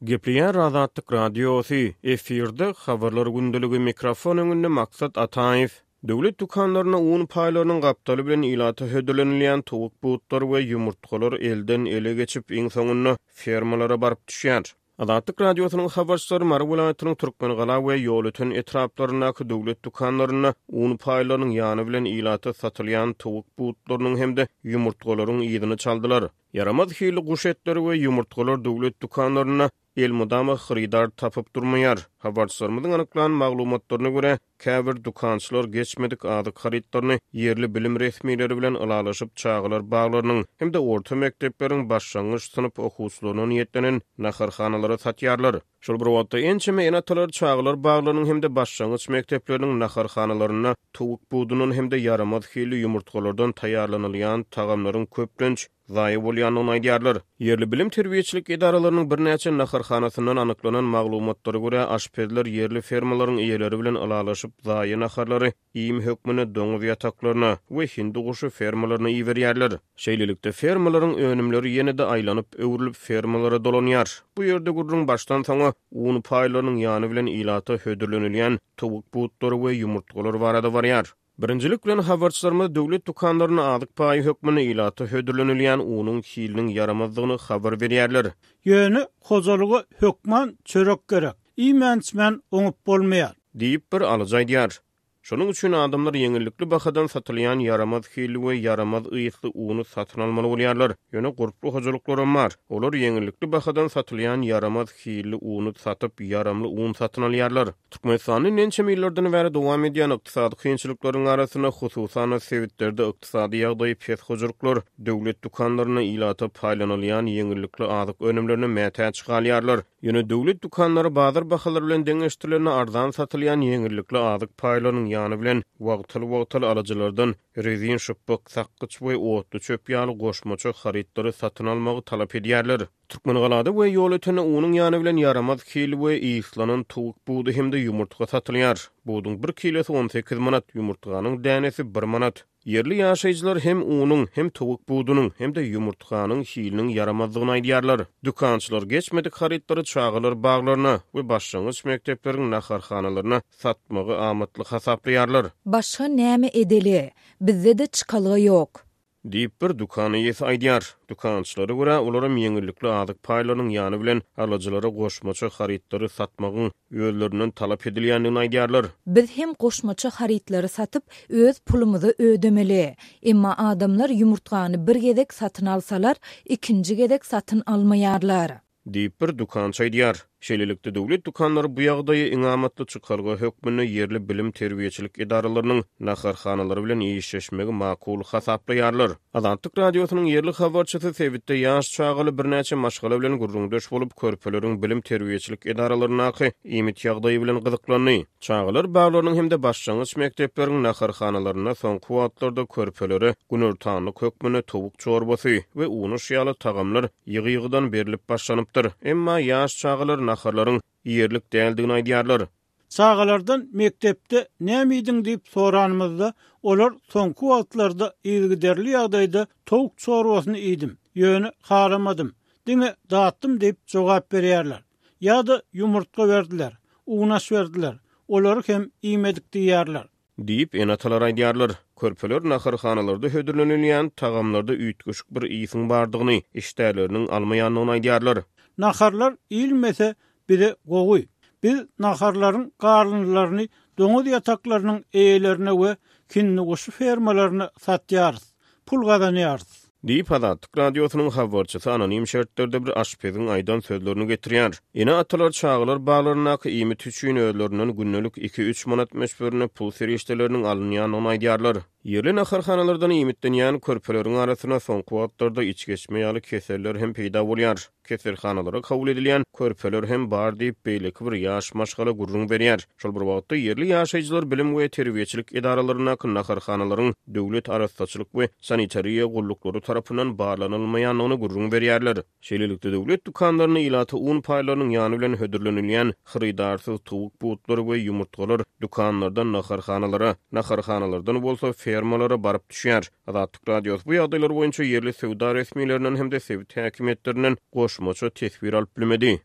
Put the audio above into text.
Gepleýär Azatlyk Radiosy, efirde Habarlar gündeligi, mikrofon öňünde Maksat Ataýew. Döwlet dükanlarynda un paýlarynyň gapdaly bilen ilata hödürlenilýän towuk butlary we ýumurtgalar elden-ele geçip, iň soňunda fermalara baryp düşýär. Azatlyk Radiosynyň habarçylary Mary welaýatynyň Türkmengala we Ýolöten etraplaryndaky döwlet dükanlarynda un paýlarynyň ýany bilen ilata satylýan towuk butlarynyň hem-de ýumurtgalaryň yzyny çaldylar. Ýaramaz hilli guş etleri we ýumurtgalar döwlet dükanlarynda elmydama hyrydar tapyp durmaýar. Habarçylarymyzyň anyklan maglumatlaryna görä, käbir dükançylar geçmedik azyk harytlaryny ýerli bilim resmileri bilen ylalaşyp çagalar baglarynyň hem-de orta mekdepleriň başlangyç synp okuwçylaryna niýetlenen naharhanalara satýarlar. Şol bir wagtda, ençeme ene-atalar çagalar baglarynyň hem-de başlangyç mekdepleriniň naharhanalarynda towuk budundan hem-de ýaramaz hilli ýumurtgalardan taýýarlanylýan tagamlaryň köplenç zaýa bolýandygyny aýdýarlar. Ýerli bilim-terbiýeçilik edaralarynyň birnäçe naharhanasyndan anyklanan maglumatlara görä, aşpezler ýerli fermalaryň eýeleri bilen ylalaşyp, zaýa naharlary iým hökmünde doňuz ýataklaryna we hindi guşy fermalaryna iberýärler. Şeýlelikde, fermalaryň önümleri ýene-de aýlanyp-öwrülip fermalara dolanýar. Bu ýerde gürrüň başdan-soňa un paýlarynyň ýany bilen ilata hödürlenilýän towuk butlary we ýumurtgalar barada barýar. Birinjilik bilen habarçylarymyz döwlet dükanlarynda azyk paýy hökmünde ilata hödürlenilýän unuň hiliniň ýaramazdygyny habar berýärler. Ýöne hojalyga hökman çörek gerek. Iýmän-içmän oňup bolmaýar. Diýip, bir alyjy aýdýar. Şonuň üçin adamlar ýeňillikli bahadan satylýan ýaramaz hilli we ýaramaz ysly uny satyn almaly bolýarlar. Ýöne gurply hojalyklaram bar. Olar ýeňillikli bahadan satylýan ýaramaz hilli uny satyp, ýaramly un satyn alýarlar. Türkmenistanda ençeme ýyllardan bäri dowam edýän ykdysady kynçylyklaryň arasynda, hususan-da, sebitlerde ykdysady ýagdaýy pes hojalyklar döwlet dükanlarynda ilata paýlanylýan ýeňillikli azyk önümlerine mätäç galýarlar. Ýöne döwlet dükanlary bazar bahalary bilen deňeşdirilende arzan satylýan ýeňillikli azyk paýlarynyň ýany bilen wagtal-wagtal alyjylardan rezin şypbyk, sakgyç we otly çöp ýaly goşmaça harytlary satyn almagy talap edýärler. Türkmengalada we Ýolötende unuň ýany bilen ýaramaz hilli we yslanan towuk budy hem-de ýumurtga satylýar. Buduň bir kilosy 18 manat, ýumurtganyň dänesi bir manat. Ýerli ýaşaýjylar hem unuň, hem towuk budunyň, hem-de ýumurtganyň hiliniň ýaramazdygyny aýdýarlar. Dükançylar geçmedik harytlary çagalar baglaryna we başlangyç mekdepleriň naharhanalaryna satmagy amatly hasaplaýarlar. Başga näme edeli? Bizde-de çykalga ýok. Diýip, bir dükan eýesi aýdýar. Dükançylara görä, olaram ýeňillikli azyk paýlarynyň ýany bilen alyjylara goşmaça harytlary satmagyň özlerinden talap edilýändigini aýdýarlar. Biz hem goşmaça harytlary satyp, öz pulumyzy ödemeli. Emma adamlar ýumurtgany bir gezek satyn alsalar, ikinji gezek satyn almaýarlar. Diýip, bir dükançy aýdýar. Şeýlelikde, döwlet dükanlary bu ýagdaýy iň amatly çykalga hökmünde ýerli bilim-terbiýeçilik edaralarynyň naharhanalary bilen işleşmegi makul hasaplaýarlar. Azatlyk Radiosynyň ýerli habarçysy sebitde ýaş çagaly birnäçe maşgala bilen gürrüňdeş bolup, körpeleriň bilim-terbiýeçilik edaralaryndaky iýmit ýagdaýy bilen gyzyklandy. Çagalar baglarynyň hem-de başlangyç mekdepleriň naharhanalarynda soňky wagtlarda körpelere günortanlyk hökmünde towuk çorbasy we unuş ýaly tagamlar ýygy-ýygydan berlip başlanypdyr. Emma ýaş çagalar naharlaryň iýerlik däldigini aýdýarlar. Çagalardan mekdepde näme iýdiň diýip soranymyzda, olar soňky wagtlarda yzygiderli ýagdaýda towuk çorbasyny iýdim, ýöne halamadym, diňe datdym diýip jogap berýärler. Ýa-da ýumurtga berdiler, unaş berdiler, olary hem iýmedik diýýärler. Diýip, ene-atalar aýdýarlar. Körpeler naharhanalarda hödürlenilýän tagamlarda üýtgeşik bir ysyň bardygyny, işdäleriniň almaýandygyny aýdýarlar. Naharlar iýilmese bize gowy. Biz naharlaryň galyndylaryny doňuz ýataklarynyň eýelerine we hindiguşy fermalaryna satýarys. Pul gazanýarys. Diýip, Azatlyk Radiosynyň habarçysy anonim şertlerde bir aşpeziň aýdan sözlerini getirýär. Ene-atalar çagalar baglaryndaky iýmit üçin özlerinden gündelik iki-üç manat möçberinde pul serişdeleriniň alynýandygyny aýdýarlar. Ýerli naharhanalardan iýmitlenýän körpeleriň arasynda soňky wagtlarda içgeçme ýaly keseller hem peýda bolýar. Keselhanalara kabul edilýän körpeler hem bar diýip, beýleki bir ýaş maşgala gürrüň berýär. Şol bir wagtda, ýerli ýaşaýjylar bilim we terbiýeçilik edaralaryndaky naharhanalaryň döwlet arassaçylyk we sanitariýa gulluklary tarapyndan barlanylmaýandygyny gürrüň berýärler. Şeýlelikde, döwlet dükanlarynda ilata un paýlarynyň ýany bilen hödürlenilýän hyrydarsyz towuk butlary we ýumurtgalar dükanlardan naharhanalara, naharhanalardan bolsa fermalara baryp düşýär. Azatlyk Radiosy bu ýagdaýlar boýunça ýerli söwda resmilerinden hem-de sebit häkimiýetlerinden goşmaça teswir alyp bilmedi.